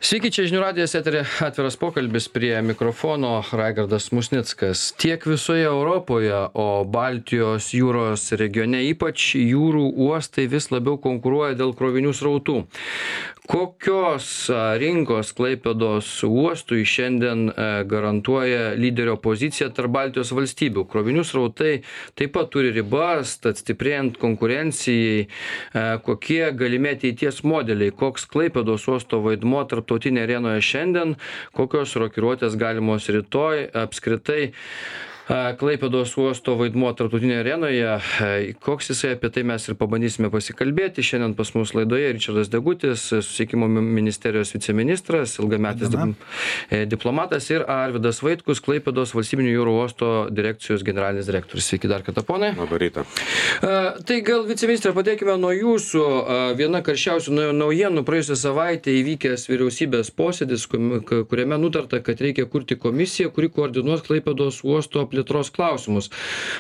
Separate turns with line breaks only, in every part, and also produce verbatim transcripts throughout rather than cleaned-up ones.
Sveiki, čia žinių radijas, eteryje atviras pokalbis, prie mikrofono Raigardas Musnickas. Tiek visoje Europoje, o Baltijos jūros regione ypač jūrų uostai vis labiau konkuruoja dėl krovinių srautų. Kokios rinkos Klaipėdos uostui šiandien garantuoja lyderio poziciją tarp Baltijos valstybių? Krovinių srautai taip pat turi ribas, tad stiprėjant konkurencijai, kokie galimi ateities modeliai, koks Klaipėdos uosto vaidmuo tarptautinėje arenoje šiandien, kokios rokiruotės galimos rytoj, apskritai Klaipėdos uosto vaidmuo tarptautinėje arenoje, koks jisai, apie tai mes ir pabandysime pasikalbėti. Šiandien pas mus laidoje Ričardas Degutis, Susisiekimo ministerijos viceministras, ilgametis diplomatas, ir Arvydas Vaitkus, Klaipėdos valstybinių jūrų uosto direkcijos generalinis direktorius. Sveiki dar kartą, ponai.
Labą rytą.
Tai gal, viceministrė, padėkime nuo jūsų. Viena karščiausių naujienų praėjusią savaitę įvykęs vyriausybės posėdis, kuriame nutarta, kad reikia kurti komisiją, kuri koordinuos Klaipėdos uosto plėtros klausimus.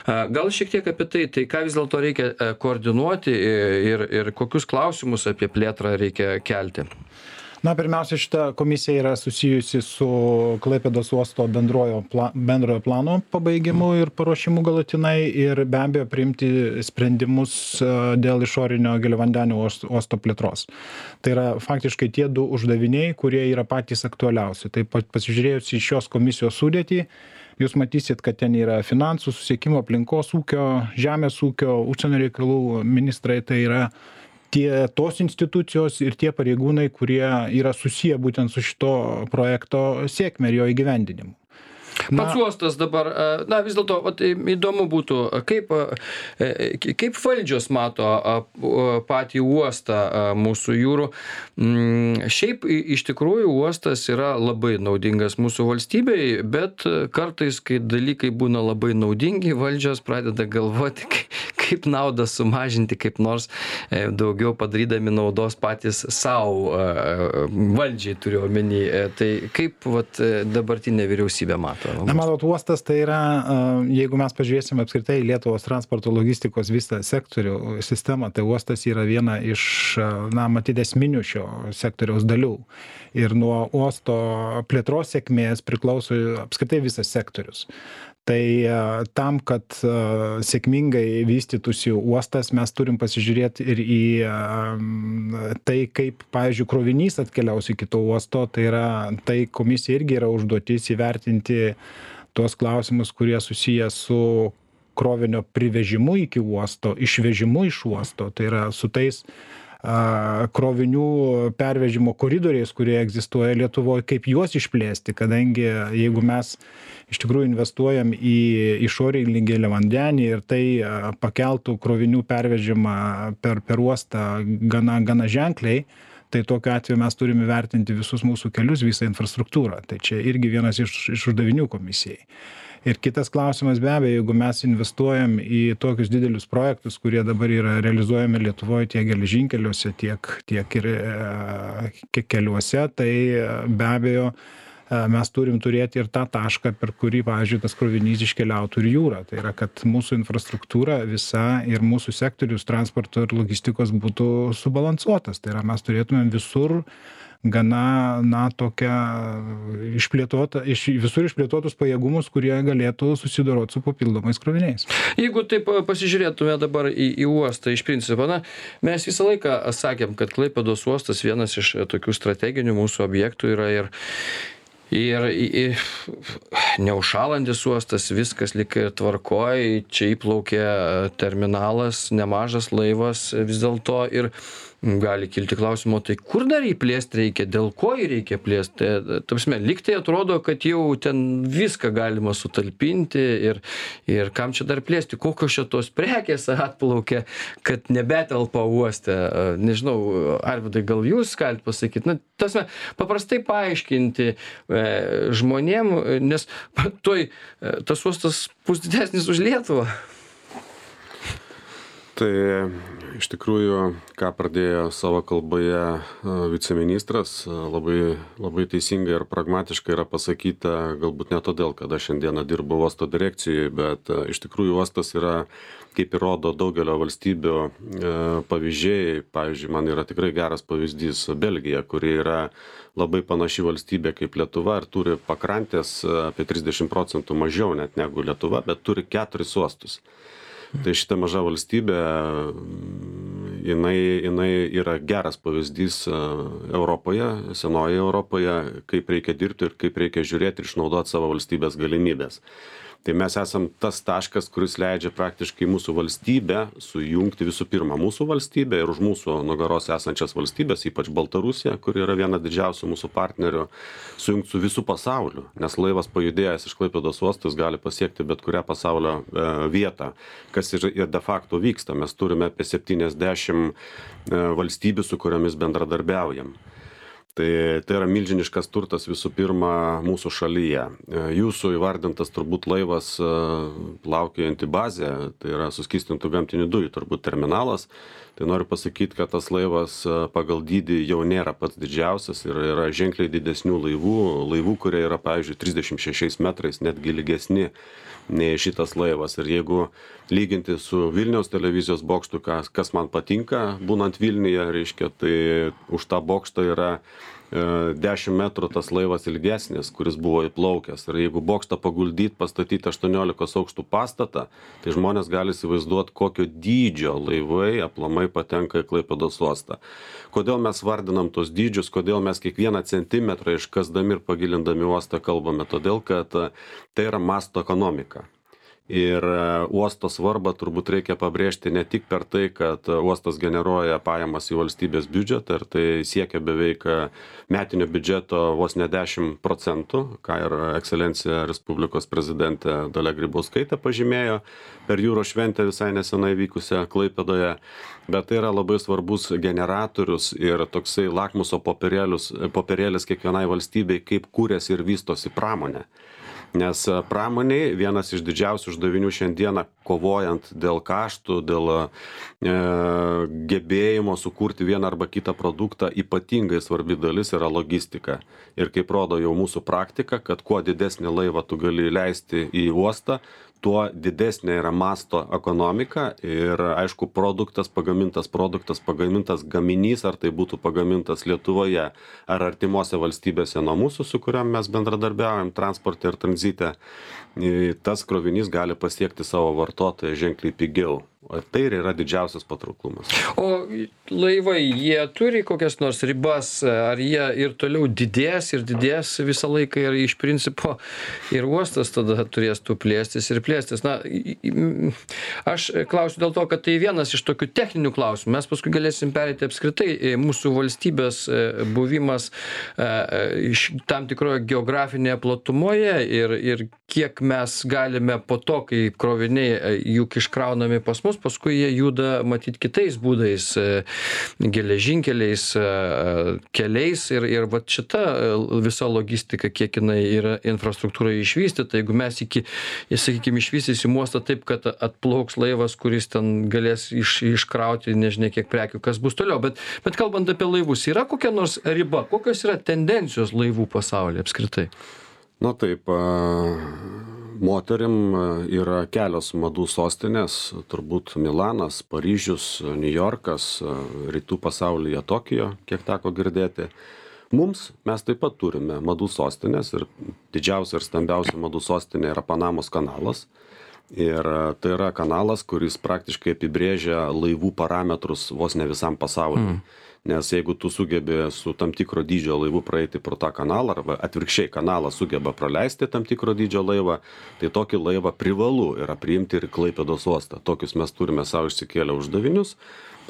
Gal šiek tiek apie tai, tai ką vis dėlto reikia koordinuoti ir, ir kokius klausimus apie plėtrą reikia kelti?
Na, pirmiausia, šita komisija yra susijusi su Klaipėdos uosto bendrojo, pla, bendrojo plano pabaigimu ir paruošimu galutinai ir be abejo priimti sprendimus dėl išorinio giliavandenio uosto plėtros. Tai yra faktiškai tie du uždaviniai, kurie yra patys aktualiausi. Taip pat pasižiūrėjus į šios komisijos sudėtį, jūs matysit, kad ten yra finansų, susisiekimo, aplinkos ūkio, žemės ūkio, užsienio reikalų ministrai, tai yra tie tos institucijos ir tie pareigūnai, kurie yra susiję būtent su šito projekto sėkme ir jo įgyvendinimu.
Na, pats uostas dabar, na vis dėlto, įdomu būtų, kaip, kaip valdžios mato patį uostą mūsų jūrų. Šiaip iš tikrųjų uostas yra labai naudingas mūsų valstybei, bet kartais, kai dalykai būna labai naudingi, valdžios pradeda galvoti, kaip naudą sumažinti, kaip nors daugiau padarydami naudos patys savo, valdžiai turiu omeny. Tai kaip vat, dabartinė vyriausybė mato?
Na, matot, uostas tai yra, jeigu mes pažiūrėsime apskritai Lietuvos transporto logistikos visą sektorių sistemą, tai uostas yra viena iš, na, matyt, esminių šio sektoriaus dalių. Ir nuo uosto plėtros sėkmės priklauso apskritai visas sektorius. Tai tam, kad sėkmingai vystytųsi uostas, mes turim pasižiūrėti ir į tai, kaip, pavyzdžiui, krovinys atkeliaus iki to uosto. Tai yra, tai komisija irgi yra užduotis įvertinti tuos klausimus, kurie susiję su krovinio privežimu iki uosto, išvežimu iš uosto. Tai yra su tais krovinių pervežimo koridoriais, kurie egzistuoja Lietuvoje, kaip juos išplėsti, kadangi jeigu mes iš tikrųjų investuojam į išorinį giliavandenį ir tai pakeltų krovinių pervežimą per, per uostą gana, gana ženkliai, tai tokiu atveju mes turime vertinti visus mūsų kelius, visą infrastruktūrą. Tai čia irgi vienas iš, iš uždavinių komisijai. Ir kitas klausimas, be abejo, jeigu mes investuojam į tokius didelius projektus, kurie dabar yra realizuojami Lietuvoje tiek geležinkeliuose, tiek, tiek ir e, keliuose, tai be abejo mes turim turėti ir tą tašką, per kurį, pavyzdžiui, tas krovinys iškeliautų ir jūrą. Tai yra, kad mūsų infrastruktūra visa ir mūsų sektorius transporto ir logistikos būtų subalansuotas. Tai yra, mes turėtumėm visur gana, na, tokia išplėtota, iš, visur išplėtotus pajėgumus, kurie galėtų susidoroti su papildomais kroviniais.
Jeigu taip pasižiūrėtume dabar į, į uostą iš principo, na, mes visą laiką sakėm, kad Klaipėdos uostas vienas iš tokių strateginių mūsų objektų yra ir Ir, ir neužšalantis uostas, viskas lyg ir tvarkoj, čia įplaukė terminalas, nemažas laivas vis dėlto ir gali kilti klausimo, tai kur dar jį plėsti reikia, dėl ko jį reikia plėsti. Tapsime, lyg tai atrodo, kad jau ten viską galima sutalpinti ir, ir kam čia dar plėsti, kokios šitos prekės atplaukia, kad nebetelpa uoste. Nežinau, Arvydai, gal jūs galite pasakyti, na, tasme, paprastai paaiškinti e, žmonėm, nes toj tas uostas bus didesnis už Lietuvą.
Tai iš tikrųjų, ką pradėjo savo kalboje viceministras, labai, labai teisingai ir pragmatiškai yra pasakyta, galbūt ne todėl, kad aš šiandieną dirbu uosto direkcijoje, bet iš tikrųjų uostas yra, kaip ir rodo daugelio valstybių pavyzdžiai. Pavyzdžiui, man yra tikrai geras pavyzdys Belgija, kuri yra labai panaši valstybė kaip Lietuva ir turi pakrantės apie trisdešimt procentų mažiau net negu Lietuva, bet turi keturis uostus. Tai šita maža valstybė, jinai, jinai yra geras pavyzdys Europoje, senoje Europoje, kaip reikia dirbti ir kaip reikia žiūrėti ir išnaudoti savo valstybės galimybės. Tai mes esam tas taškas, kuris leidžia praktiškai mūsų valstybę sujungti visų pirma mūsų valstybę ir už mūsų nugaros esančias valstybės, ypač Baltarusija, kuri yra viena didžiausių mūsų partnerių, sujungti su visų pasauliu, nes laivas pajudėjęs iš Klaipėdos uostos gali pasiekti bet kurią pasaulio e, vietą, kas ir, ir de facto vyksta. Mes turime apie septyniasdešimt e, valstybių, su kuriomis bendradarbiaujam. Tai, tai yra milžiniškas turtas visų pirma mūsų šalyje. Jūsų įvardintas turbūt laivas plaukiojanti bazė, tai yra suskystintų gamtinių dujų turbūt terminalas. Tai noriu pasakyti, kad tas laivas pagal dydį jau nėra pats didžiausias ir yra ženkliai didesnių laivų, laivų, kurie yra, pavyzdžiui, trisdešimt šešiais metrais, netgi ilgesni nei šitas laivas. Ir jeigu lyginti su Vilniaus televizijos bokštu, kas, kas man patinka, būnant Vilniuje, reiškia, tai už tą bokštą yra dešimt metrų tas laivas ilgesnis, kuris buvo įplaukęs. Ir jeigu bokštą paguldyti, pastatyti aštuoniolikos aukštų pastatą, tai žmonės gali įsivaizduoti, kokio dydžio laivai aplamai patenka į Klaipėdos uostą. Kodėl mes vardinam tos dydžius, kodėl mes kiekvieną centimetrą iškasdami ir pagilindami uostą kalbame? Todėl, kad tai yra masto ekonomika. Ir uosto svarbą turbūt reikia pabrėžti ne tik per tai, kad uostas generuoja pajamas į valstybės biudžetą ir tai siekia beveik metinio biudžeto vos ne dešimt procentų, ką ir ekscelencija Respublikos prezidentė Dalia Grybauskaitė pažymėjo per jūros šventę visai nesenai vykusią Klaipėdoje, bet tai yra labai svarbus generatorius ir toksai lakmuso popierėlis kiekvienai valstybei, kaip kūrėsi ir vystosi pramonė. Nes pramoniai vienas iš didžiausių uždavinių šiandieną, kovojant dėl kaštų, dėl e, gebėjimo sukurti vieną arba kitą produktą, ypatingai svarbi dalis yra logistika. Ir kaip rodo jau mūsų praktika, kad kuo didesnį laivą tu gali leisti į uostą, tuo didesnė yra masto ekonomika ir, aišku, produktas, pagamintas produktas, pagamintas gaminys, ar tai būtų pagamintas Lietuvoje ar artimuose valstybėse nuo mūsų, su kuriam mes bendradarbiaujam transporte ir tranzite, tas krovinys gali pasiekti savo vartotoją ženkliai pigiau. O tai ir yra didžiausias patrauklumas.
O laivai, jie turi kokias nors ribas, ar jie ir toliau didės ir didės visą laiką ir iš principo ir uostas tada turės tų plėstis ir plėstis. Na, aš klausiu dėl to, kad tai vienas iš tokių techninių klausimų. Mes paskui galėsim pereiti apskritai mūsų valstybės buvimas tam tikroje geografinėje platumoje ir, ir kiek mes galime po to, kai kroviniai juk iškraunami pas mus, paskui jie juda matyt kitais būdais, geležinkeliais, keliais ir, ir vat šita visa logistika, kiek jinai yra infrastruktūra išvystyta, jeigu mes iki, sakykime, išvystysim uostą taip, kad atplauks laivas, kuris ten galės iš, iškrauti nežinia kiek prekių, kas bus toliau. Bet, bet kalbant apie laivus, yra kokia nors riba, kokios yra tendencijos laivų pasaulyje apskritai?
Na taip, moterim yra kelios madų sostinės, turbūt Milanas, Paryžius, Niujorkas, rytų pasaulyje Tokijo, kiek teko girdėti. Mums mes taip pat turime madų sostinės ir didžiausia ir stambiausia madų sostinė yra Panamos kanalas. Ir tai yra kanalas, kuris praktiškai apibrėžia laivų parametrus vos ne visam pasauliu. Mm. Nes jeigu tu sugebi su tam tikro dydžio laivu praeiti pro tą kanalą, arba atvirkščiai kanalą sugeba praleisti tam tikro dydžio laivą, tai tokį laivą privalu yra priimti ir Klaipėdos uostą. Tokius mes turime savo išsikėlę uždavinius.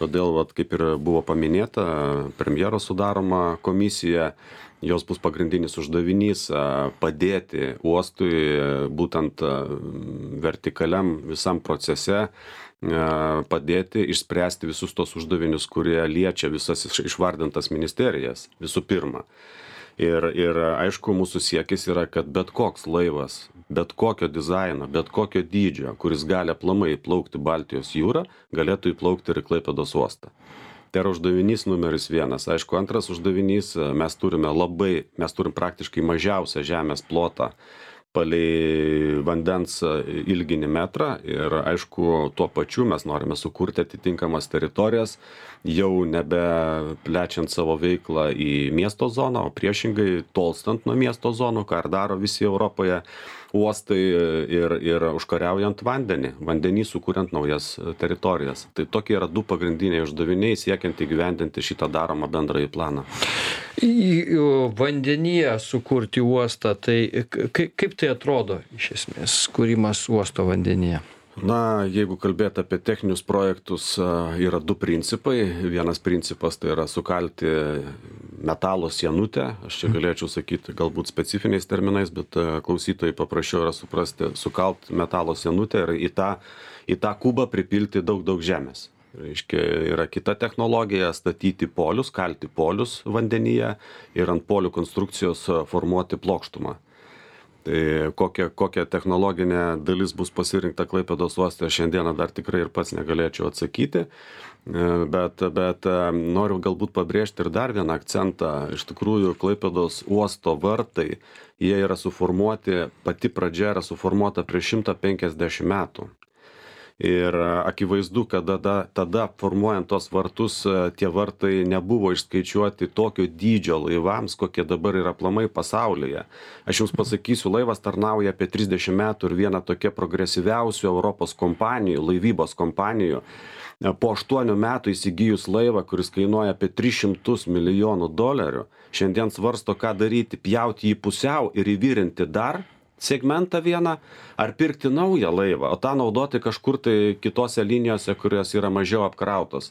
Todėl, vat, kaip ir buvo paminėta, premjero sudaroma komisija, jos bus pagrindinis uždavinys padėti uostui būtent vertikaliam visam procese, padėti išspręsti visus tos uždavinius, kurie liečia visas išvardintas ministerijas visų pirma. Ir, ir aišku, mūsų siekis yra, kad bet koks laivas, bet kokio dizaino, bet kokio dydžio, kuris gali aplamai įplaukti Baltijos jūrą, galėtų įplaukti ir į Klaipėdos uostą. Tai yra uždavinys numeris vienas. Aišku, antras uždavinys, mes turime labai, mes turim praktiškai mažiausią žemės plotą palei vandens ilginį metrą ir aišku, tuo pačiu mes norime sukurti atitinkamas teritorijas, jau nebe plečiant savo veiklą į miesto zoną, o priešingai tolstant nuo miesto zonų, ką ir daro visi Europoje uostai ir, ir užkariaujant vandenį, vandenį sukuriant naujas teritorijas. Tai tokie yra du pagrindiniai uždaviniai siekiant įgyvendinti šitą daromą bendrąjį planą.
Į vandenyje sukurti uostą, tai kaip tai atrodo iš esmės, kūrimas uosto vandenyje?
Na, jeigu kalbėt apie techninius projektus, yra du principai. Vienas principas tai yra sukalti metalo sienutę. Aš čia galėčiau sakyti galbūt specifiniais terminais, bet klausytojai paprasčiau yra suprasti, sukalt metalo sienutę ir į tą, į tą kubą pripilti daug, daug žemės. Reiškia, yra kita technologija statyti polius, kalti polius vandenyje ir ant polių konstrukcijos formuoti plokštumą. Tai kokia, kokia technologinė dalis bus pasirinkta Klaipėdos uoste, šiandieną dar tikrai ir pats negalėčiau atsakyti, bet, bet noriu galbūt pabrėžti ir dar vieną akcentą. Iš tikrųjų, Klaipėdos uosto vartai, jie yra suformuoti, pati pradžia yra suformuota prieš šimtą penkiasdešimt metų. Ir akivaizdu, kad tada, tada formuojant tos vartus, tie vartai nebuvo išskaičiuoti tokio dydžio laivams, kokie dabar yra aplamai pasaulyje. Aš jums pasakysiu, laivas tarnauja apie trisdešimt metų ir viena tokia progresyviausių Europos kompanijų, laivybos kompanijų. Po aštuonių metų įsigijus laivą, kuris kainuoja apie tris šimtus milijonų dolerių, šiandien svarsto, ką daryti, pjauti jį pusiau ir įvirinti dar segmentą vieną, ar pirkti naują laivą, o tą naudoti kažkur tai kitose linijose, kurios yra mažiau apkrautos.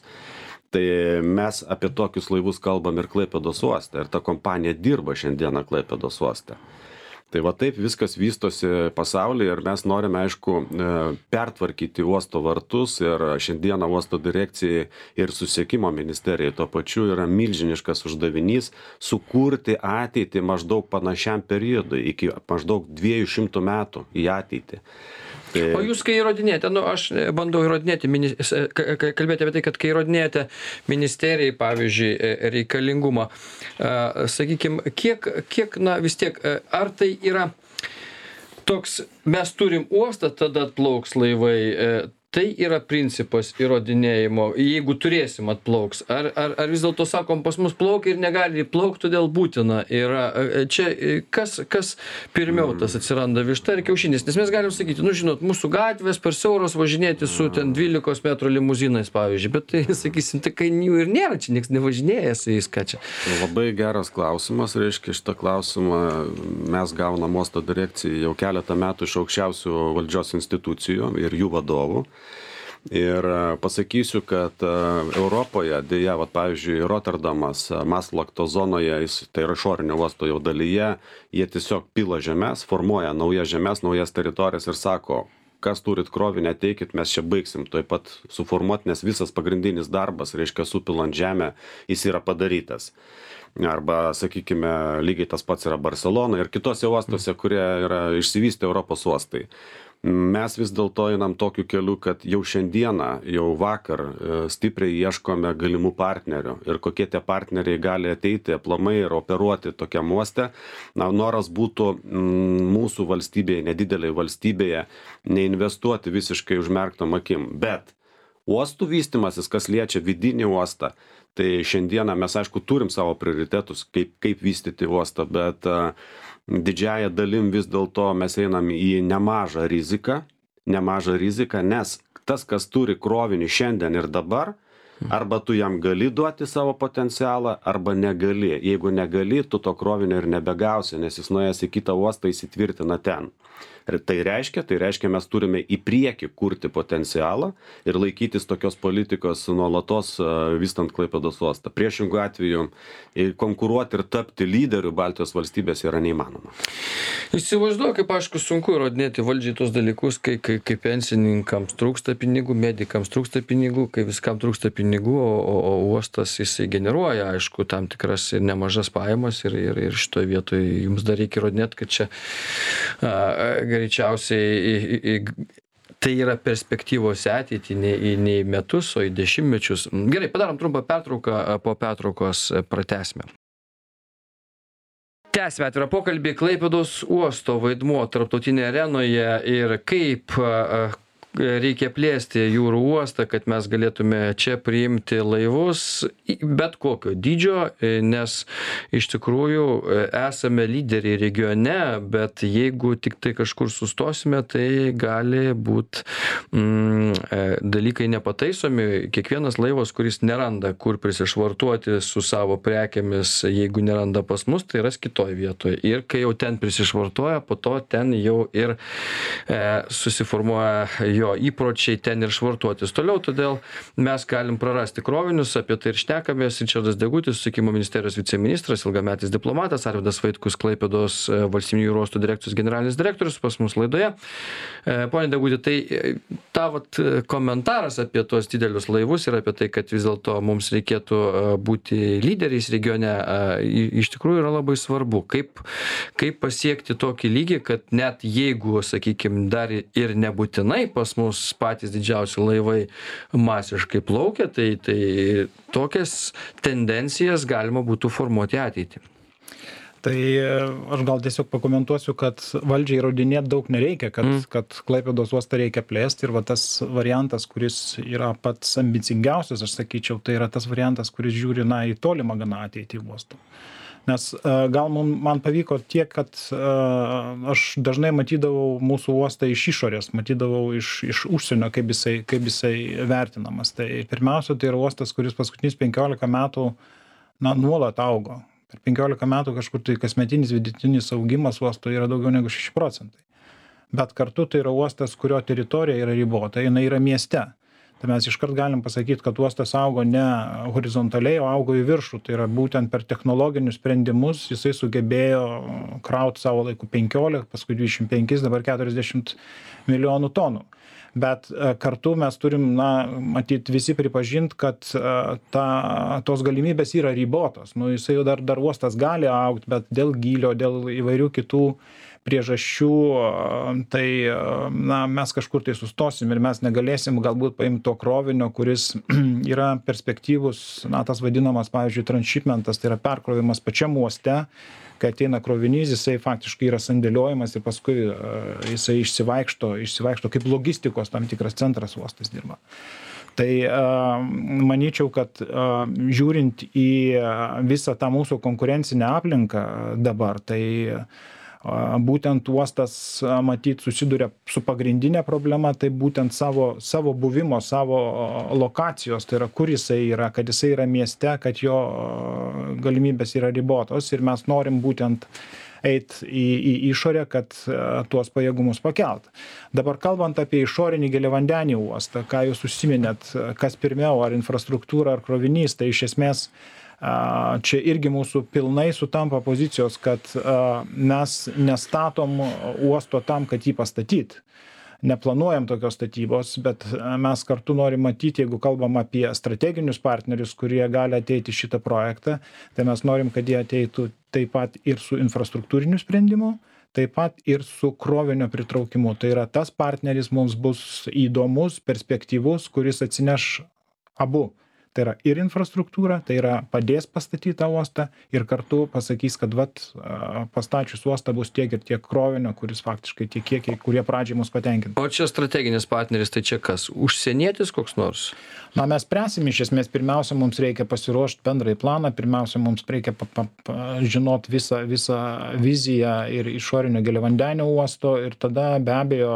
Tai mes apie tokius laivus kalbam ir Klaipėdos uoste, ir ta kompanija dirba šiandieną Klaipėdos uoste. Tai va taip viskas vystosi pasaulyje ir mes norime, aišku, pertvarkyti uosto vartus ir šiandieną uosto direkcijai ir susisiekimo ministerijai tuo pačiu yra milžiniškas uždavinys sukurti ateitį maždaug panašiam periodui, iki maždaug dviejų šimtų metų į ateitį. Tai...
O jūs, kai įrodinėjate, nu, aš bandau įrodinėti, kalbėti apie tai, kad kai įrodinėjate ministerijai, pavyzdžiui, reikalingumą, sakykime, kiek, kiek, na, vis tiek, ar tai yra toks, mes turim uostą, tada atplauks laivai, tai yra principas įrodinėjimo, jeigu turėsim atplauks, ar, ar, ar vis dėlto sakom, pas mus plaukia ir negali įplaukti, todėl būtina yra, čia kas, kas pirmiau tas atsiranda, višta ir kiaušinis, nes mes galim sakyti, nu žinot, mūsų gatvės per siauros važinėti su ten dvylikos metrų limuzinais, pavyzdžiui, bet tai, sakysim, tai kai jų ir nėra, čia nieks nevažinėja su jais, ką čia.
Labai geras klausimas, reiškia, šitą klausimą mes gaunam uosto direkcijai jau keletą metų iš aukščiausių valdžios institucijų ir jų vadovų. Ir pasakysiu, kad Europoje, dėja, vat, pavyzdžiui, Rotterdamas, Maslakto zonoje, jis, tai yra išorinio uosto jau dalyje, jie tiesiog pila žemės, formuoja naujas žemės, naujas teritorijas ir sako, kas turit krovinį, ateikit, mes čia baigsim tuoj pat suformuoti, nes visas pagrindinis darbas, reiškia, supilant žemę, jis yra padarytas. Arba, sakykime, lygiai tas pats yra Barcelona ir kitose uostose, kurie yra išsivystę Europos uostai. Mes vis dėlto einam tokiu keliu, kad jau šiandieną, jau vakar stipriai ieškome galimų partnerių ir kokie tie partneriai gali ateiti aplamai ir operuoti tokiam uoste. Na, noras būtų m, mūsų valstybėje, nedideliai valstybėje, neinvestuoti visiškai užmerktom akim. Bet uostų vystimasis, kas liečia vidinį uostą, tai šiandieną mes, aišku, turim savo prioritetus, kaip, kaip vystyti uostą, bet uh, didžiąją dalim vis dėlto mes einam į nemažą riziką, nemažą riziką, nes tas, kas turi krovinį šiandien ir dabar, arba tu jam gali duoti savo potencialą, arba negali. Jeigu negali, tu to krovinio ir nebegausi, nes jis nuėjęs į kitą uostą įsitvirtina ten. Ir tai reiškia, tai reiškia, mes turime į priekį kurti potencialą ir laikytis tokios politikos nuolatos vystant Klaipėdos uostą. Priešingų atveju konkuruoti ir tapti lyderiu Baltijos valstybės yra neįmanoma.
Įsivaizduoju, kaip aišku sunku įrodinėti valdžiai tos dalykus, kai, kai, kai pensininkams trūksta pinigų, medikams trūksta pinigų, kai viskam trūksta pinigų. pinigų, o, o uostas jisai generuoja, aišku, tam tikras ir nemažas pajamas ir, ir, ir šitoje vietoje jums dar reikia įrodinėti, kad čia a, greičiausiai į, į, tai yra perspektyvos ateitį ne į, ne į metus, o į dešimtmečius. Gerai, padarom trumpą pertrauką, po pertraukos pratęsime. Tęsime atvirą pokalbį. Klaipėdos uosto vaidmuo tarptautinėje arenoje ir kaip reikia plėsti jūrų uostą, kad mes galėtume čia priimti laivus bet kokio dydžio, nes iš tikrųjų esame lyderiai regione, bet jeigu tik tai kažkur sustosime, tai gali būt mm, dalykai nepataisomi. Kiekvienas laivas, kuris neranda, kur prisišvartuoti su savo prekėmis, jeigu neranda pas mus, tai ras kitoj vietoje. Ir kai jau ten prisišvartuoja, po to ten jau ir e, susiformuoja jo įpročiai ten ir švartuotis toliau, todėl mes galim prarasti krovinius, apie tai ir šnekamės. Ričardas Degutis, Susisiekimo ministerijos viceministras, ilgametis diplomatas, Arvydas Vaitkus, Klaipėdos valstybinių jūrų uostų direkcijos generalinis direktorius pas mus laidoje. Pone Deguti, tai tavo komentaras apie tuos didelius laivus ir apie tai, kad vis dėlto mums reikėtų būti lyderiais regione, iš tikrųjų yra labai svarbu. Kaip, kaip pasiekti tokį lygį, kad net jeigu, sakykime, dar ir nebūtinai pas mus patys didžiausi laivai masiškai plaukia, tai, tai tokias tendencijas galima būtų formuoti ateitį.
Tai aš gal tiesiog pakomentuosiu, kad valdžiai įrodinėti daug nereikia, kad, mm. kad Klaipėdos uostą reikia plėsti ir va tas variantas, kuris yra pats ambicingiausias, aš sakyčiau, tai yra tas variantas, kuris žiūri na, į tolimą gana ateitį uostų. Nes gal man pavyko tiek, kad aš dažnai matydavau mūsų uostą iš išorės, matydavau iš, iš užsienio, kaip jisai, kaip jisai vertinamas. Tai pirmiausia, tai yra uostas, kuris paskutinius penkiolika metų na, nuolat augo. Per penkiolika metų kažkur tai kasmetinis vidutinis augimas uosto yra daugiau negu šeši procentai. Bet kartu tai yra uostas, kurio teritorija yra ribota, jinai yra mieste. Tai mes iškart galim pasakyti, kad uostas augo ne horizontaliai, o augo į viršų. Tai yra būtent per technologinius sprendimus jisai sugebėjo krauti savo laiku penkiolika, paskui dvidešimt penki, dabar keturiasdešimt milijonų tonų. Bet kartu mes turim, na, matyti visi pripažinti, kad ta, tos galimybės yra ribotos. Nu, jisai jau dar, dar uostas gali augti, bet dėl gylio, dėl įvairių kitų priežasčių, tai na, mes kažkur tai sustosim ir mes negalėsim galbūt paimti to krovinio, kuris yra perspektyvus, na, tas vadinamas, pavyzdžiui, transshipmentas, tai yra perkrovimas pačiam uoste, kai ateina krovinys, jisai faktiškai yra sandėliojimas ir paskui jisai išsivaikšto, išsivaikšto kaip logistikos tam tikras centras uostas dirba. Tai manyčiau, kad žiūrint į visą tą mūsų konkurencinę aplinką dabar, tai būtent uostas, matyt, susiduria su pagrindinė problema, tai būtent savo, savo buvimo, savo lokacijos, tai yra kur jisai yra, kad jisai yra mieste, kad jo galimybės yra ribotos ir mes norim būtent eiti į, į išorę, kad tuos pajėgumus pakelt. Dabar kalbant apie išorinį giliavandenį uostą, ką jūs užsiminėt, kas pirmiau, ar infrastruktūra, ar krovinys, tai iš esmės čia irgi mūsų pilnai sutampa pozicijos, kad mes nestatom uosto tam, kad jį pastatyti. Neplanuojam tokios statybos, bet mes kartu norim matyti, jeigu kalbam apie strateginius partnerius, kurie gali ateiti šitą projektą, tai mes norim, kad jie ateitų taip pat ir su infrastruktūriniu sprendimu, taip pat ir su krovinio pritraukimu. Tai yra tas partneris mums bus įdomus, perspektyvus, kuris atsineš abu. Tai yra ir infrastruktūra, tai yra padės pastatyti tą uostą ir kartu pasakys, kad vat, pastačius uostą bus tiek ir tiek krovinio, kuris faktiškai tie kiekiai, kurie pradžiai mus patenkintų.
O čia strateginis partneris, tai čia kas? Užsienietis koks nors?
Na, mes spręsim iš esmės, pirmiausia, mums reikia pasiruošti bendrai planą, pirmiausia, mums reikia pa, pa, pa, žinot visą, visą viziją ir išorinio giliavandenio uosto ir tada be abejo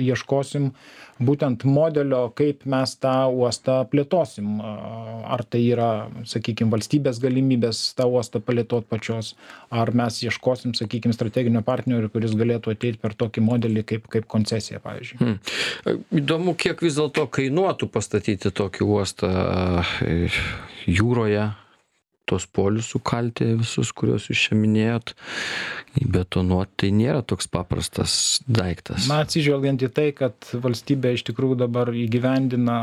ieškosim būtent modelio, kaip mes tą uostą plėtosim. Ar tai yra, sakykime, valstybės galimybės tą uostą plėtoti pačios, ar mes ieškosim, sakykime, strateginio partnerio, kuris galėtų ateiti per tokį modelį kaip, kaip koncesija, pavyzdžiui.
Hmm. Įdomu, kiek vis dėlto kainuotų pastatyti tokį uostą jūroje. tos polius sukalti visus, kuriuos jūs čia minėjot, įbetonuoti, tai nėra toks paprastas daiktas.
Na, atsižvelgiant į tai, kad valstybė iš tikrųjų dabar įgyvendina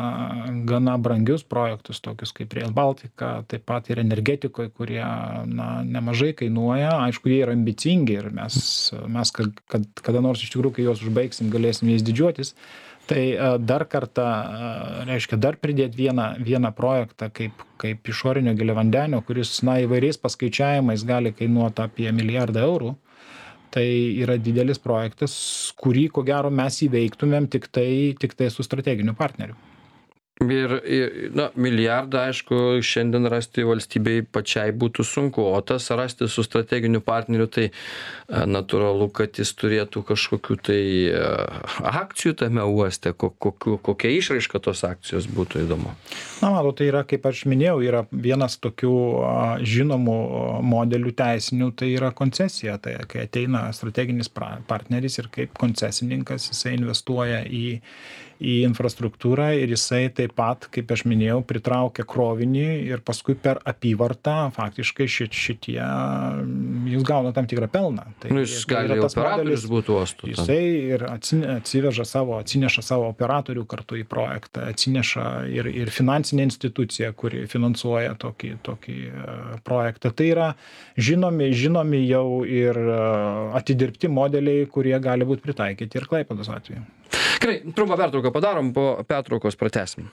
gana brangius projektus, tokius kaip Rail Baltica, taip pat ir energetikoje, kurie na, nemažai kainuoja. Aišku, jie yra ambicingi ir mes, mes kad, kad, kada nors iš tikrųjų, kai juos užbaigsim, galėsim jais didžiuotis. Tai dar kartą, reiškia, dar pridėti vieną, vieną projektą kaip, kaip išorinio giliavandenio, kuris na, įvairiais paskaičiavimais gali kainuoti apie milijardą eurų. Tai yra didelis projektas, kurį, ko gero, mes įveiktumėm tik tai, tik tai su strateginiu partneriu.
Ir, ir na, milijardą, aišku, šiandien rasti valstybei pačiai būtų sunku, o tas rasti su strateginiu partneriu, tai natūralu, kad jis turėtų kažkokių tai akcijų tame uoste, kokiu, kokia išraiška tos akcijos būtų įdomu.
Na, matau, tai yra, kaip aš minėjau, yra vienas tokių žinomų modelių teisinių, tai yra koncesija. Tai kai ateina strateginis partneris ir kaip koncesininkas, jisai investuoja į į infrastruktūrą ir jisai taip pat, kaip aš minėjau, pritraukia krovinį ir paskui per apyvartą faktiškai šit, šitie jis gauna tam tikrą pelną. Tai
nu, jis gali operatorius būtų uostų.
Jisai ir atsiveža savo, atsineša savo operatorių kartu į projektą, atsineša ir, ir finansinė institucija, kuri finansuoja tokį, tokį projektą. Tai yra žinomi, žinomi jau ir atidirbti modeliai, kurie gali būti pritaikyti ir Klaipėdos atveju.
Gerai, trumpą pertrauką padarom, po pertraukos pratęsim.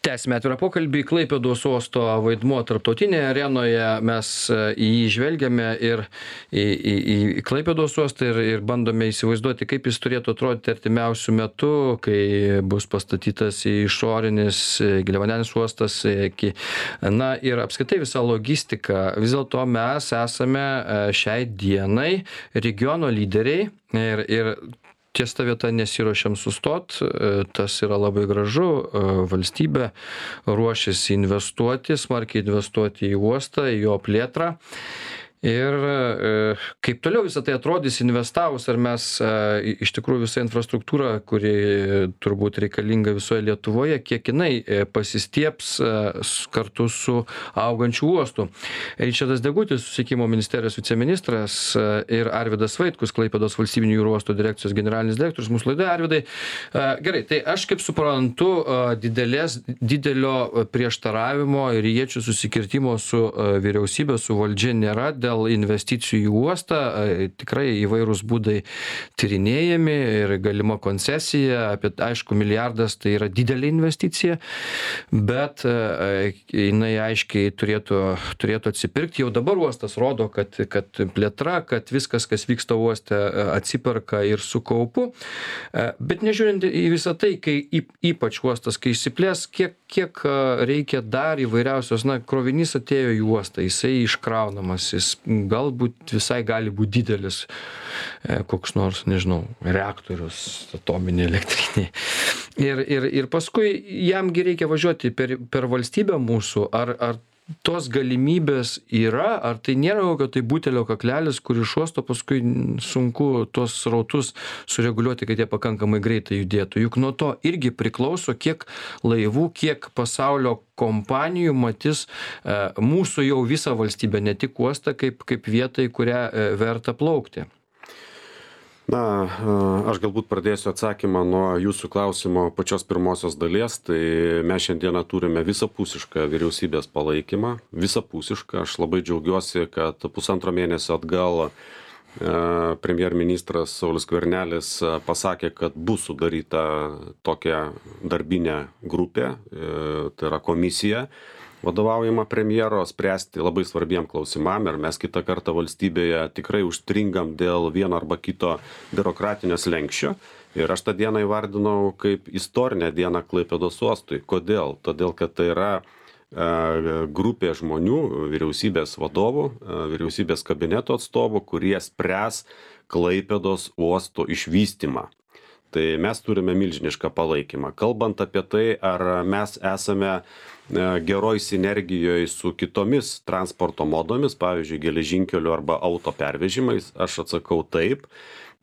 Tęsime atvirą pokalbį. Klaipėdos uosto vaidmuo tarptautinėje arenoje, mes į jį žvelgiame ir į, į, į Klaipėdos uostą ir, ir bandome įsivaizduoti, kaip jis turėtų atrodyti artimiausių metų, kai bus pastatytas išorinis giliavandenis uostas. Na ir apskritai visa logistika. Vis dėlto mes esame šiai dienai regiono lyderiai ir, ir ties ta vieta nesiruošiam sustot, tas yra labai gražu, valstybė ruošiasi investuoti, smarkiai investuoti į uostą, į jo plėtrą. Ir kaip toliau visą tai atrodys investavus, ar mes iš tikrųjų visą infrastruktūrą, kuri turbūt reikalinga visoje Lietuvoje, kiek jinai pasistieps kartu su augančiu uostu. Ričardas Degutis, Susisiekimo ministerijos viceministras, ir Arvydas Vaitkus, Klaipėdos valstybinių jūrų uosto direkcijos generalinis direktorius, mūsų laidoje. Arvydai, gerai, tai aš kaip suprantu, didelės, didelio prieštaravimo ir iečių susikirtimo su vyriausybė, su valdžia nėra dėl investicijų į uostą. Tikrai įvairūs būdai tyrinėjami ir galima koncesija, apie, aišku, milijardas tai yra didelė investicija, bet jinai aiškiai turėtų, turėtų atsipirkti. Jau dabar uostas rodo, kad, kad plėtra, kad viskas, kas vyksta uoste, atsiperka ir su kaupu. Bet nežiūrint į visą tai, kai ypač uostas, kai išsiplės, kiek, kiek reikia dar įvairiausios, na, krovinys atėjo į uostą, jisai iškraunamas, jis galbūt visai gali būti didelis, koks nors, nežinau, reaktorius, atominė elektrinė. Ir, ir, ir paskui jamgi reikia važiuoti per, per valstybę mūsų, ar, ar tos galimybės yra, ar tai nėra kokio tai butelio kaklelis, kur iš uosto paskui sunku tuos srautus sureguliuoti, kad jie pakankamai greitai judėtų. Juk nuo to irgi priklauso, kiek laivų, kiek pasaulio kompanijų matys e, mūsų jau visą valstybę, ne tik uostą, kaip, kaip vietą, į kurią e, verta plaukti.
Na, aš galbūt pradėsiu atsakymą nuo jūsų klausimo pačios pirmosios dalies. Tai mes šiandieną turime visapusišką vyriausybės palaikymą. Visapusišką. Aš labai džiaugiuosi, kad pusantro mėnesio atgal premjerministras Saulius Skvernelis pasakė, kad bus sudaryta tokia darbinė grupė, tai yra komisija, vadovaujama premjero, spręsti labai svarbiem klausimam, ir mes kitą kartą valstybėje tikrai užstringam dėl vieno arba kito biurokratinio slenksčio. Ir aš tą dieną įvardinau kaip istorinę dieną Klaipėdos uostui. Kodėl? Todėl, kad tai yra grupė žmonių, vyriausybės vadovų, vyriausybės kabineto atstovų, kurie spręs Klaipėdos uosto išvystymą. Tai mes turime milžinišką palaikymą. Kalbant apie tai, ar mes esame geroj sinergijoje su kitomis transporto modomis, pavyzdžiui, geležinkeliu arba auto pervežimais, aš atsakau taip.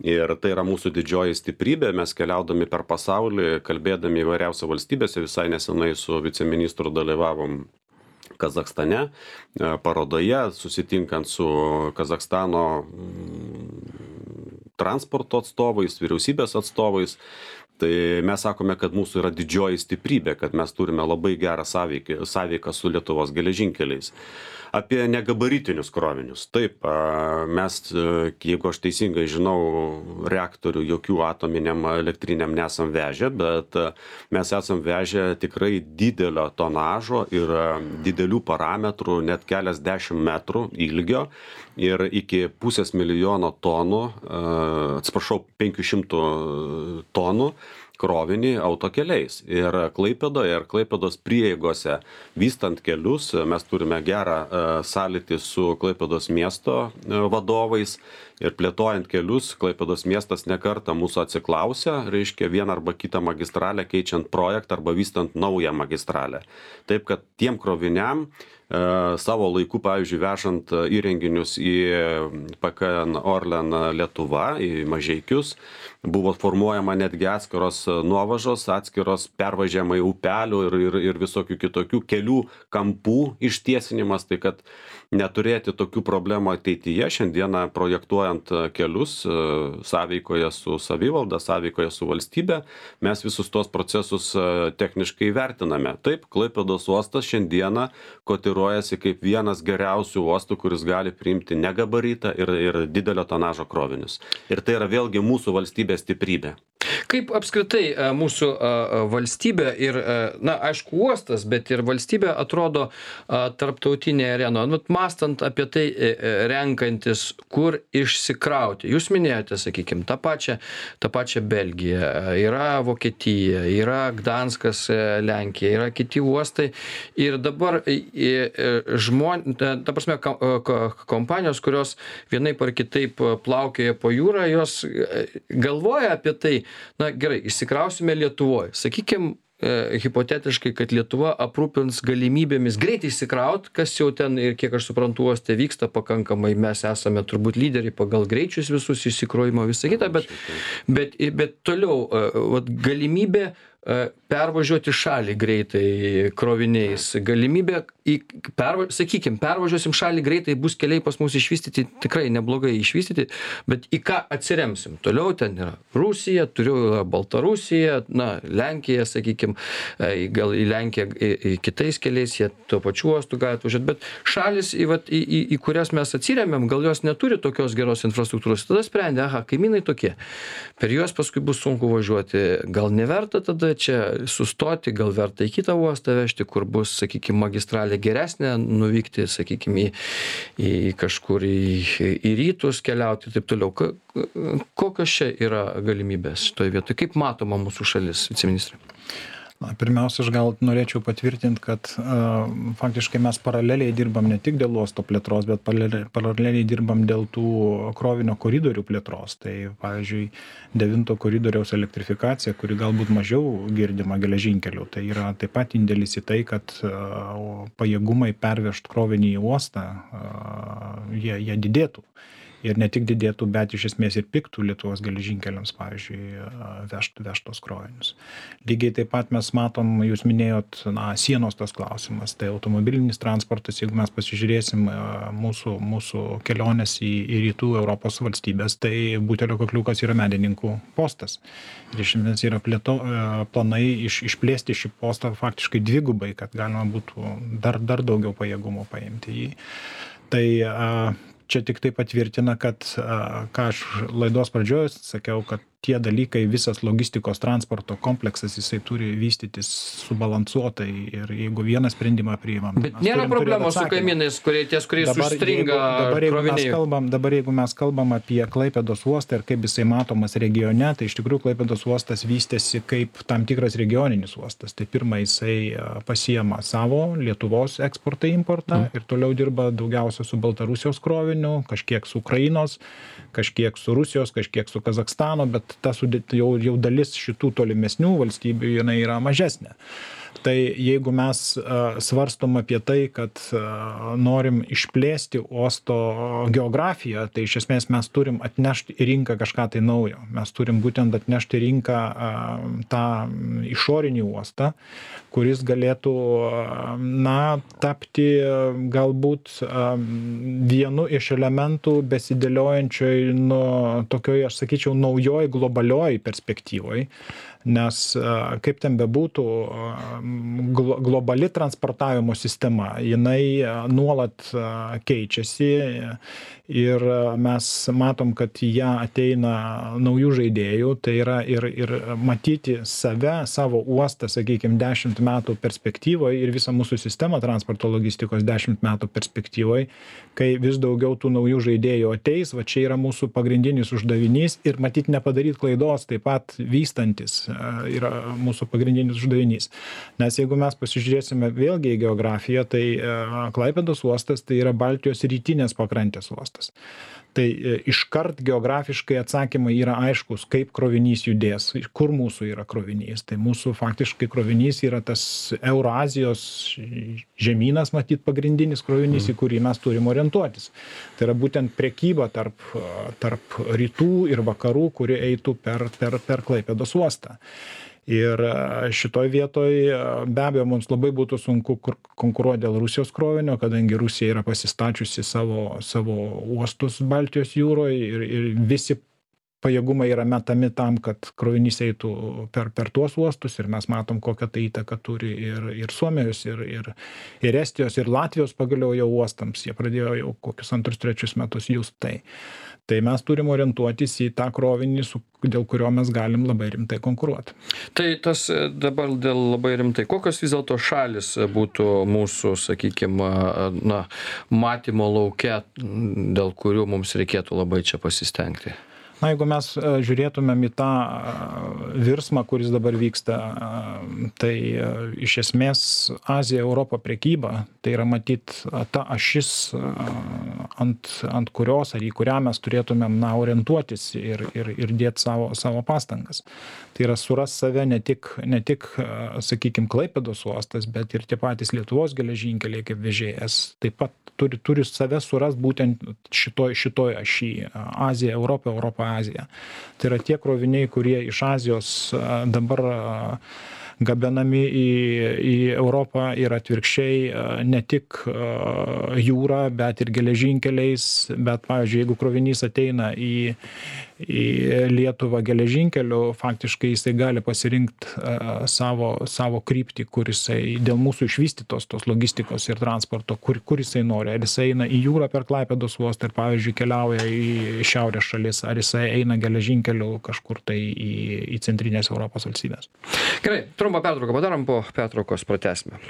Ir tai yra mūsų didžioji stiprybė. Mes keliaudami per pasaulį, kalbėdami įvairiausiose valstybėse, visai nesenai su viceministru dalyvavom Kazachstane, parodoje, susitinkant su Kazachstano transporto atstovais, vyriausybės atstovais. Tai mes sakome, kad mūsų yra didžioji stiprybė, kad mes turime labai gerą sąveiką, sąveiką su Lietuvos geležinkeliais. Apie negabaritinius krovinius. Taip, mes, jeigu aš teisingai žinau, reaktorių jokių atominiam elektriniam nesam vežę, bet mes esam vežę tikrai didelio tonažo ir didelių parametrų, net keliasdešimt metrų ilgio ir iki pusės milijono tonų, atsiprašau, penkių šimtų tonų krovinį autokeliais. Ir Klaipėdoje ir Klaipėdos prieigose vystant kelius, mes turime gerą sąlytį su Klaipėdos miesto vadovais ir plėtojant kelius, Klaipėdos miestas nekartą mūsų atsiklausė, reiškia vieną arba kitą magistralę keičiant projektą arba vystant naują magistralę. Taip, kad tiem kroviniam savo laiku, pavyzdžiui, vežant įrenginius į P K N Orlen Lietuva, į Mažeikius, buvo formuojama netgi atskiros nuovažos, atskiros pervažiavimai upelių ir, ir, ir visokių kitokių kelių kampų ištiesinimas, tai kad neturėti tokių problemų ateityje, šiandieną projektuojant kelius sąveikoje su savivalda, sąveikoje su valstybe, mes visus tos procesus techniškai vertiname. Taip, Klaipėdos uostas šiandieną kotiruojasi kaip vienas geriausių uostų, kuris gali priimti negabaritą ir, ir didelio tonažo krovinius. Ir tai yra vėlgi mūsų valstybės stiprybė.
Kaip apskritai mūsų valstybė ir, na, aišku, uostas, bet ir valstybė atrodo tarptautinėje arenoje. Nu, mąstant apie tai, renkantis, kur išsikrauti. Jūs minėjote, sakykime, tą pačią, tą pačią Belgiją, yra Vokietija, yra Gdanskas, Lenkija, yra kiti uostai. Ir dabar žmonės, ta prasme, kompanijos, kurios vienaip ar kitaip plaukioja po jūrą, jos galvoja apie tai, na gerai, išsikrausime Lietuvoje. Sakykime, e, hipotetiškai, kad Lietuva aprūpins galimybėmis greitai išsikraut, kas jau ten ir kiek aš suprantu, uoste vyksta pakankamai, mes esame turbūt lyderiai pagal greičius visus išsikrovimo visą kitą, bet, bet, bet toliau e, vat, galimybė pervažiuoti šalį greitai kroviniais, galimybė, į, perva, sakykime, pervažiuosim šalį greitai, bus keliai pas mus išvystyti, tikrai neblogai išvystyti, bet į ką atsiremsim? Toliau ten yra Rusija, turiu Baltarusija, na, Lenkija, sakykime, gal į Lenkiją į, į kitais keliais, jie tuo pačiu uostu gali atvažiuoti, bet šalis, į, vat, į, į, į kurias mes atsiremiam, gal jos neturi tokios geros infrastruktūros, tada sprendė, aha, kaimynai tokie, per juos paskui bus sunku važiuoti, gal neverta tada čia sustoti, gal verta į kitą uostą vežti, kur bus, sakykime, magistralė geresnė, nuvykti, sakykime, į, į kažkur į, į rytus keliauti ir taip toliau. Kokios čia yra galimybės šitoje vietoje? Kaip matoma mūsų šalis, viceministrė?
Na, pirmiausia, aš gal norėčiau patvirtinti, kad uh, faktiškai mes paraleliai dirbam ne tik dėl uosto plėtros, bet paraleliai, paraleliai dirbam dėl tų krovinio koridorių plėtros. Tai, pavyzdžiui, devinto koridoriaus elektrifikacija, kuri galbūt mažiau girdima geležinkelių, tai yra taip pat indėlis į tai, kad uh, pajėgumai pervežti krovinį į uostą, uh, jie, jie didėtų. Ir ne tik didėtų, bet iš esmės ir piktų Lietuvos geležinkeliams, pavyzdžiui, vežt, vežtos krovinius. Lygiai taip pat mes matom, jūs minėjot, na, sienos tas klausimas, tai automobilinis transportas, jeigu mes pasižiūrėsim mūsų, mūsų kelionės į, į rytų Europos valstybės, tai butelio kakliukas yra medininkų postas. Ir iš esmės yra plėto, planai iš, išplėsti šį postą faktiškai dvigubai, kad galima būtų dar, dar daugiau pajėgumų paimti jį. Tai čia tik tai patvirtina, kad, ką aš laidos pradžioje sakiau, kad tie dalykai, visas logistikos transporto kompleksas, jisai turi vystytis subalansuotai ir jeigu vieną sprendimą priimam.
Bet nėra problemos su kaimynais, kurie ties, kuriais dabar, užstringa
jeigu, dabar, jeigu
kroviniai.
Kalbam, dabar jeigu mes kalbam apie Klaipėdos uostą ir kaip jisai matomas regione, tai iš tikrųjų Klaipėdos uostas vystėsi kaip tam tikras regioninis uostas. Tai pirma, jisai pasiema savo Lietuvos eksportą importą mm. ir toliau dirba daugiausia su Baltarusijos kroviniu, kažkiek su Ukrainos, kažkiek su Rusijos, kažkiek su Kazakstano, bet ta sudėt, jau, jau dalis šitų tolimesnių valstybių jinai yra mažesnė. Tai jeigu mes svarstom apie tai, kad norim išplėsti uosto geografiją, tai iš esmės mes turim atnešti į rinką kažką tai naujo. Mes turim būtent atnešti į rinką tą išorinį uostą, kuris galėtų, na, tapti galbūt vienu iš elementų besidėliojančioj, nu, tokioj, aš sakyčiau, naujoj globalioj perspektyvoj. Nes kaip ten bebūtų, globali transportavimo sistema, jinai nuolat keičiasi ir mes matom, kad į ją ateina naujų žaidėjų, tai yra ir, ir matyti save, savo uostą, sakykime, dešimt metų perspektyvoje ir visą mūsų sistemą transporto logistikos dešimt metų perspektyvoje, kai vis daugiau tų naujų žaidėjų ateis, va čia yra mūsų pagrindinis uždavinys ir matyti nepadaryti klaidos, taip pat vystantis yra mūsų pagrindinis uždavinys. Nes jeigu mes pasižiūrėsime vėlgi į geografiją, tai Klaipėdos uostas tai yra Baltijos rytinės pakrantės uostas. Tai iškart geografiškai atsakymai yra aiškus, kaip krovinys judės, kur mūsų yra krovinys. Tai mūsų faktiškai krovinys yra tas Eurazijos žemynas, matyt, pagrindinis krovinys, į kurį mes turim orientuotis. Tai yra būtent prekyba tarp, tarp rytų ir vakarų, kuri eitų per, per, per Klaipėdos uostą. Ir šitoj vietoj be abejo mums labai būtų sunku konkuruoti dėl Rusijos krovinio, kadangi Rusija yra pasistačiusi savo, savo uostus Baltijos jūroje ir, ir visi pajėgumai yra metami tam, kad krovinys eitų per, per tuos uostus ir mes matom, kokią tai įtaką turi ir, ir Suomijos, ir, ir, ir Estijos, ir Latvijos pagaliau jau uostams. Jie pradėjo jau kokius antrus, trečius metus just tai. Tai mes turim orientuotis į tą krovinį, dėl kurio mes galim labai rimtai konkuruoti.
Tai tas dabar dėl labai rimtai, kokios vis dėlto šalis būtų mūsų, sakykime, na, matymo lauke, dėl kurių mums reikėtų labai čia pasistengti?
Na, jeigu mes žiūrėtumėm į tą virsmą, kuris dabar vyksta, tai iš esmės Azija, Europa prekyba, tai yra matyt ta ašis, ant, ant kurios ar į kurią mes turėtumėm na, orientuotis ir, ir, ir dėti savo, savo pastangas. Tai yra suras save ne tik, ne tik sakykime, Klaipėdos uostas, bet ir tie patys Lietuvos geležinkeliai kaip vežėjas. Taip pat turi, turi save suras būtent šitoj, šitoj ašy. Azija, Europa, Europa, Azija. Tai yra tie kroviniai, kurie iš Azijos dabar gabenami į, į Europą ir atvirkščiai ne tik jūra, bet ir geležinkeliais, bet, pavyzdžiui, jeigu krovinys ateina į, į Lietuvą geležinkeliu, faktiškai jisai gali pasirinkti savo, savo kryptį, kur jisai dėl mūsų išvystytos tos logistikos ir transporto, kur, kur jisai nori. Ar jisai eina į jūrą per Klaipėdos uostą ir, pavyzdžiui, keliauja į šiaurės šalis, ar jisai eina geležinkeliu kažkur tai į, į centrinės Europos valstybės.
Gerai, trumpą pertrauką padarom, po pertraukos pratęsime.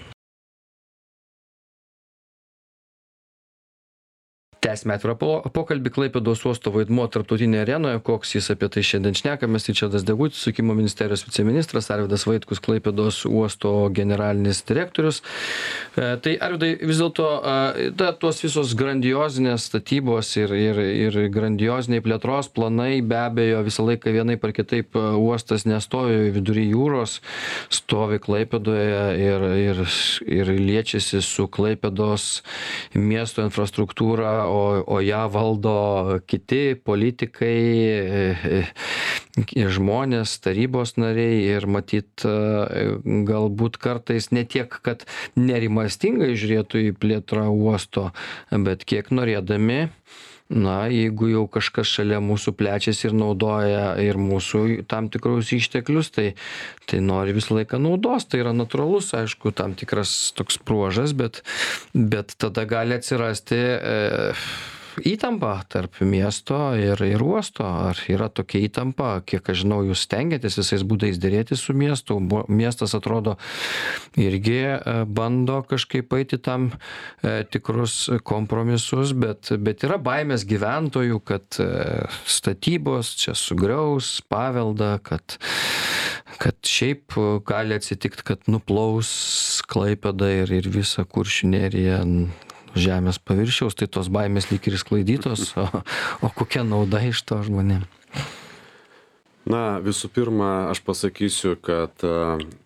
Tęsime atvirą pokalbį. Klaipėdos uosto vaidmuo tarptautinėje arenoje, koks jis, apie tai šiandien šnekamės. Ričardas Degutis, Susisiekimo ministerijos viceministras, Arvydas Vaitkus, Klaipėdos uosto generalinis direktorius. E, tai Arvydai, vis dėlto e, tos visos grandiozinės statybos ir, ir, ir grandioziniai plėtros planai, be abejo, visą laiką vienaip ar kitaip uostas nestovi vidury jūros, stovi Klaipėdoje ir, ir, ir liečiasi su Klaipėdos miesto infrastruktūra, o, o ją valdo kiti politikai, žmonės, tarybos nariai ir matyt galbūt kartais ne tiek, kad nerimastingai žiūrėtų į plėtrą uosto, bet kiek norėdami, na, jeigu jau kažkas šalia mūsų plečiasi ir naudoja ir mūsų tam tikrus išteklius, tai, tai nori visą laiką naudos. Tai yra natūralus, aišku, tam tikras toks bruožas, bet, bet tada gali atsirasti e, įtampa tarp miesto ir, ir uosto. Ar yra tokia įtampa? Kiek aš žinau, jūs stengiatės visais būdais dėrėtis su miestu. Miestas atrodo irgi bando kažkaip eiti tam e, tikrus kompromisus, bet, bet yra baimės gyventojų, kad e, statybos čia sugriaus paveldą, kad, kad šiaip gali atsitikti, kad nuplaus Klaipėda ir, ir visa Kuršių nerija žemės paviršiaus, tai tos baimės lyg ir sklaidytos, o, o kokia nauda iš to žmonėm?
Na, visų pirma, aš pasakysiu, kad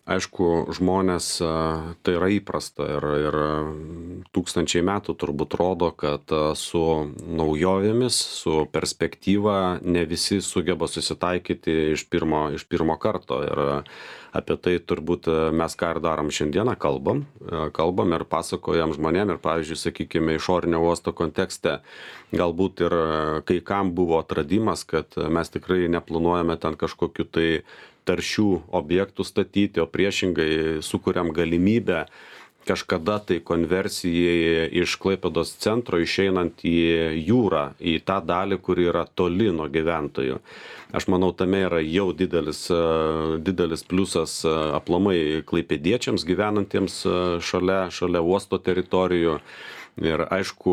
aišku, žmonės tai yra įprasta ir, ir tūkstančiai metų turbūt rodo, kad su naujovėmis, su perspektyva ne visi sugeba susitaikyti iš pirmo, iš pirmo karto. Ir apie tai turbūt mes ką ir darom šiandieną, kalbam, kalbam ir pasakojam žmonėm ir, pavyzdžiui, sakykime, išorinio uosto kontekste galbūt ir kai kam buvo atradimas, kad mes tikrai neplanuojame ten kažkokiu tai taršių objektų statyti, o priešingai sukuriam galimybę kažkada tai konversijai iš Klaipėdos centro išeinant į jūrą, į tą dalį, kuri yra toli nuo gyventojų. Aš manau, tame yra jau didelis, didelis pliusas aplamai klaipėdiečiams gyvenantiems šalia, šalia uosto teritorijų. Ir aišku,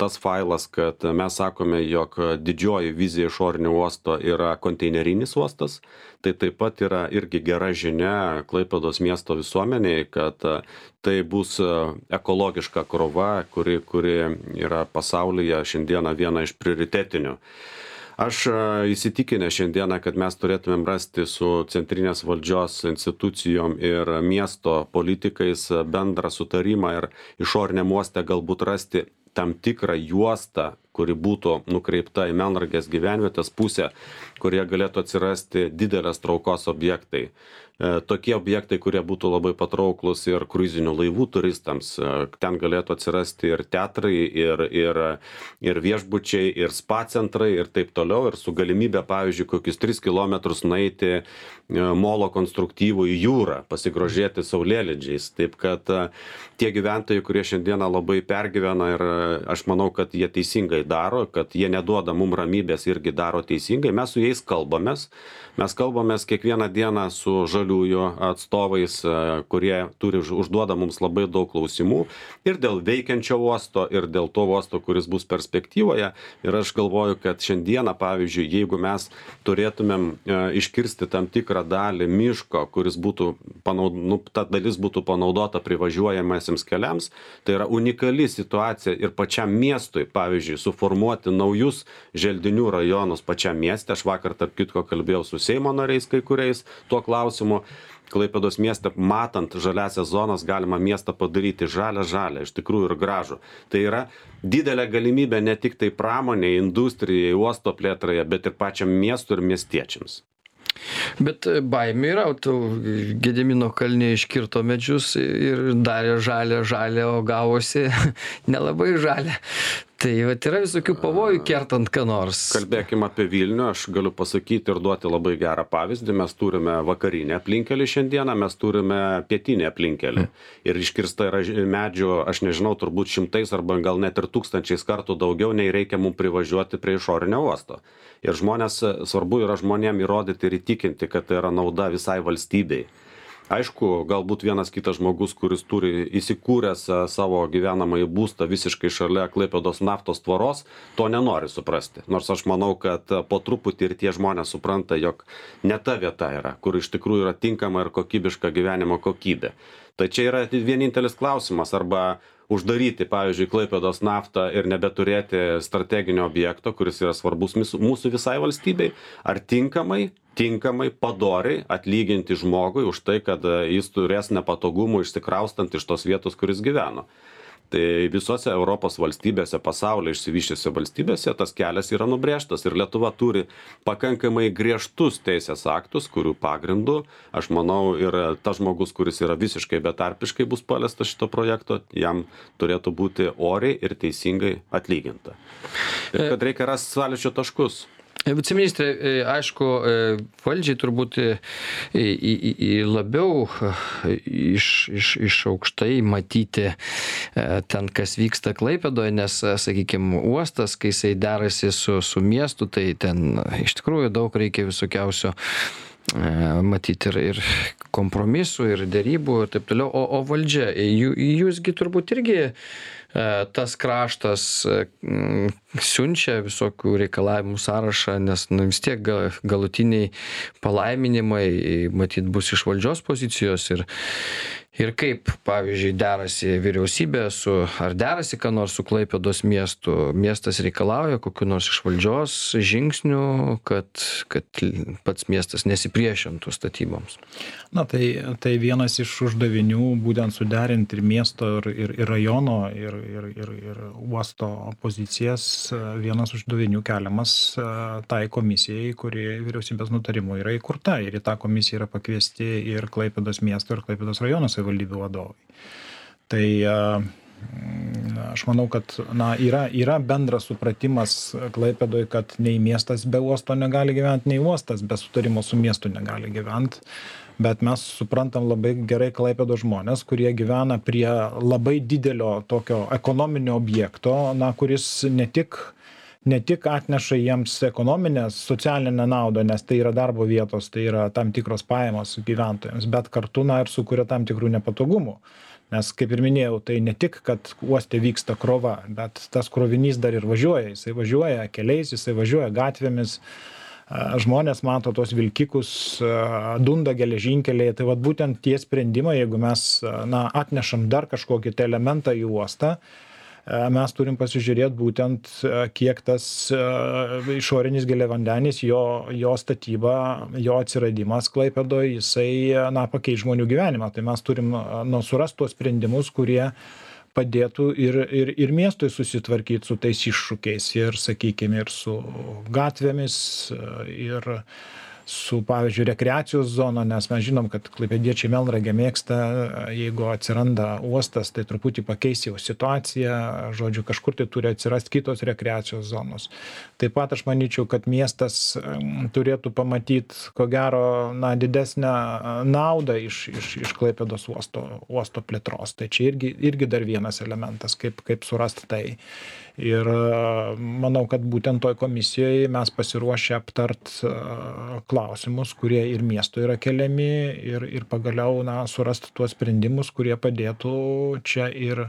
tas failas, kad mes sakome, jog didžioji vizija išorinio uosto yra konteinerinis uostas, tai taip pat yra irgi gera žinia Klaipėdos miesto visuomeniai, kad tai bus ekologiška krova, kuri, kuri yra pasaulyje šiandieną viena iš prioritetinių. Aš įsitikinę šiandieną, kad mes turėtumėm rasti su centrinės valdžios institucijom ir miesto politikais bendrą sutarimą ir išoriniam uoste galbūt rasti tam tikrą juostą, kuri būtų nukreipta į Melnragės gyvenvietės pusę, kurie galėtų atsirasti didelės traukos objektai. Tokie objektai, kurie būtų labai patrauklus ir kruizinių laivų turistams. Ten galėtų atsirasti ir teatrai, ir, ir, ir viešbučiai, ir spa centrai ir taip toliau. Ir su galimybė, pavyzdžiui, kokius tris kilometrus nueiti molo konstruktyvų į jūrą, pasigrožėti saulėlydžiais. Taip kad tie gyventojai, kurie šiandieną labai pergyvena ir aš manau, kad jie teisingai daro, kad jie neduoda mum ramybės, irgi daro teisingai. Mes su jais kalbamės. Mes kalbamės kiekvieną dieną su žaliųjų atstovais, kurie turi užduoda mums labai daug klausimų ir dėl veikiančio uosto, ir dėl to uosto, kuris bus perspektyvoje. Ir aš galvoju, kad šiandieną, pavyzdžiui, jeigu mes turėtumėm iškirsti tam tikrą dalį miško, kuris būtų, panaud... nu, ta dalis būtų panaudota privažiuojamiesiems keliams, tai yra unikali situacija ir pačiam miestui, pavyzdžiui, suformuoti naujus želdinių rajonus pačiam mieste. Aš vakar, tarp kitko, kalbėjau su Seimo nariais kai kuriais tuo klausimu. Klaipėdos mieste, matant žaliasias zonas, galima miestą padaryti žalią žalią, iš tikrųjų ir gražų. Tai yra didelė galimybė ne tik tai pramoniai, industrijai, uosto plėtrai, bet ir pačiam miestui ir miestiečiams.
Bet baimė yra, tu Gedimino kalne iškirto medžius ir darė žalę žalę, o gavosi nelabai žalę. Tai vat yra visokių pavojų kertant ką nors.
Kalbėkime apie Vilnių, aš galiu pasakyti ir duoti labai gerą pavyzdį. Mes turime vakarinę aplinkelį šiandieną, mes turime pietinę aplinkelį. Ir iškirsta yra medžių, aš nežinau, turbūt šimtais arba gal net ir tūkstančiais kartų daugiau, nei reikia mums privažiuoti prie išorinio uosto. Ir žmonės, svarbu yra žmonėm įrodyti ir įtikinti, kad tai yra nauda visai valstybei. Aišku, galbūt vienas kitas žmogus, kuris turi įsikūręs savo gyvenamąjį būstą visiškai šalia Klaipėdos naftos tvoros, to nenori suprasti. Nors aš manau, kad po truputį ir tie žmonės supranta, jog ne ta vieta yra, kur iš tikrųjų yra tinkama ir kokybiška gyvenimo kokybė. Tai čia yra vienintelis klausimas, arba uždaryti, pavyzdžiui, Klaipėdos naftą ir nebeturėti strateginio objekto, kuris yra svarbus mūsų visai valstybei, ar tinkamai, tinkamai, padoriai atlyginti žmogui už tai, kad jis turės nepatogumų išsikraustant iš tos vietos, kuris gyveno. Tai visose Europos valstybėse, pasaulio išsivyščiusiose valstybėse tas kelias yra nubrėžtas ir Lietuva turi pakankamai griežtus teisės aktus, kurių pagrindų, aš manau, ir tas žmogus, kuris yra visiškai betarpiškai bus paliestas šito projekto, jam turėtų būti oriai ir teisingai atlyginta. Ir kad reikia rasti sąlyčio taškus.
Viceministrė, aišku, valdžiai turbūt labiau iš, iš, iš aukštai matyti ten, kas vyksta Klaipėdoje, nes, sakykime, uostas, kai jisai derasi su, su miestu, tai ten iš tikrųjų daug reikia visokiausio matyti ir, ir kompromisų, ir dėrybų ir taip toliau. O, o valdžia, jūsgi turbūt irgi tas kraštas, siunčia visokių reikalavimų sąrašą, nes nu, vis tiek ga- galutiniai palaiminimai matyt bus iš valdžios pozicijos ir Ir kaip, pavyzdžiui, derasi vyriausybė su, ar derasi ką nors su Klaipėdos miestu, miestas reikalauja kokiu nors iš valdžios žingsnių, kad, kad pats miestas nesipriešintų statyboms.
Na, tai, tai vienas iš uždavinių būtent suderinti ir miesto, ir, ir, ir rajono, ir, ir, ir, ir uosto pozicijas. Vienas uždavinių keliamas tai komisijai, kuri vyriausybės nutarimu yra įkurta. Ir į tą komisiją yra pakviesti ir Klaipėdos miesto, ir Klaipėdos rajono savivaldybių vadovai. Tai aš manau, kad na, yra, yra bendras supratimas Klaipėdoje, kad nei miestas be uosto negali gyventi, nei uostas be sutarimo su miestu negali gyventi. Bet mes suprantam labai gerai Klaipėdos žmonės, kurie gyvena prie labai didelio tokio ekonominio objekto, na, kuris ne tik ne tik atneša jiems ekonominę, socialinę naudą, nes tai yra darbo vietos, tai yra tam tikros pajamos gyventojams, bet kartu na, ir sukuria tam tikrų nepatogumų. Nes, kaip ir minėjau, tai ne tik, kad uoste vyksta krova, bet tas krovinys dar ir važiuoja. Jisai važiuoja keliais, jisai važiuoja gatvėmis, žmonės mato tos vilkikus, dunda geležinkeliai. Tai vat būtent tie sprendimai, jeigu mes na, atnešam dar kažkokį tai elementą į uostą, mes turim pasižiūrėti būtent, kiek tas išorinis giliavandenis, jo, jo statyba, jo atsiradimas Klaipėdoje, jisai na, pakeis žmonių gyvenimą. Tai mes turim nu, surasti tuos sprendimus, kurie padėtų ir, ir, ir miestui susitvarkyti su tais iššūkiais ir, sakykime, ir su gatvėmis, ir su, pavyzdžiui, rekreacijos zona, nes mes žinom, kad klaipėdiečiai Melnragę mėgsta, jeigu atsiranda uostas, tai truputį pakeis jau situaciją, žodžiu, kažkur tai turi atsirasti kitos rekreacijos zonos. Taip pat aš manyčiau, kad miestas turėtų pamatyti, ko gero, na, didesnę naudą iš, iš, iš Klaipėdos uosto, uosto plėtros. Tai čia irgi, irgi dar vienas elementas, kaip, kaip surasti tai. Ir manau, kad būtent toj komisijoje mes pasiruošę aptart klausimus, kurie ir miesto yra keliami ir, ir pagaliau na, surasti tuos sprendimus, kurie padėtų čia ir,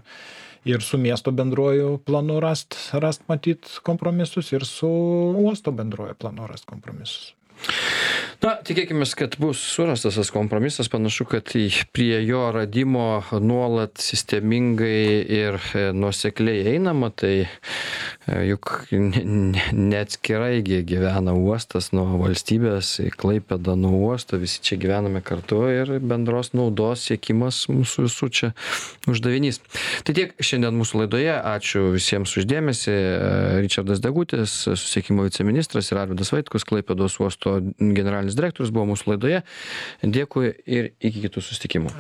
ir su miesto bendruoju planu rast, rast matyt kompromisus ir su uosto bendruoju planu rast kompromisus.
Na, tikėkime, kad bus surastas tas kompromisas, panašu, kad prie jo radimo nuolat sistemingai ir nuosekliai einama, tai juk neatskirai gyvena uostas nuo valstybės, Klaipėda nuo uosto, visi čia gyvename kartu ir bendros naudos siekimas mūsų visų čia uždavinys. Tai tiek šiandien mūsų laidoje, ačiū visiems už dėmesį. Ričardas Degutis, susisiekimo viceministras, ir Arvydas Vaitkus, Klaipėdos uosto generalinis direktorius buvo mūsų laidoje. Dėkui ir iki kitų susitikimų.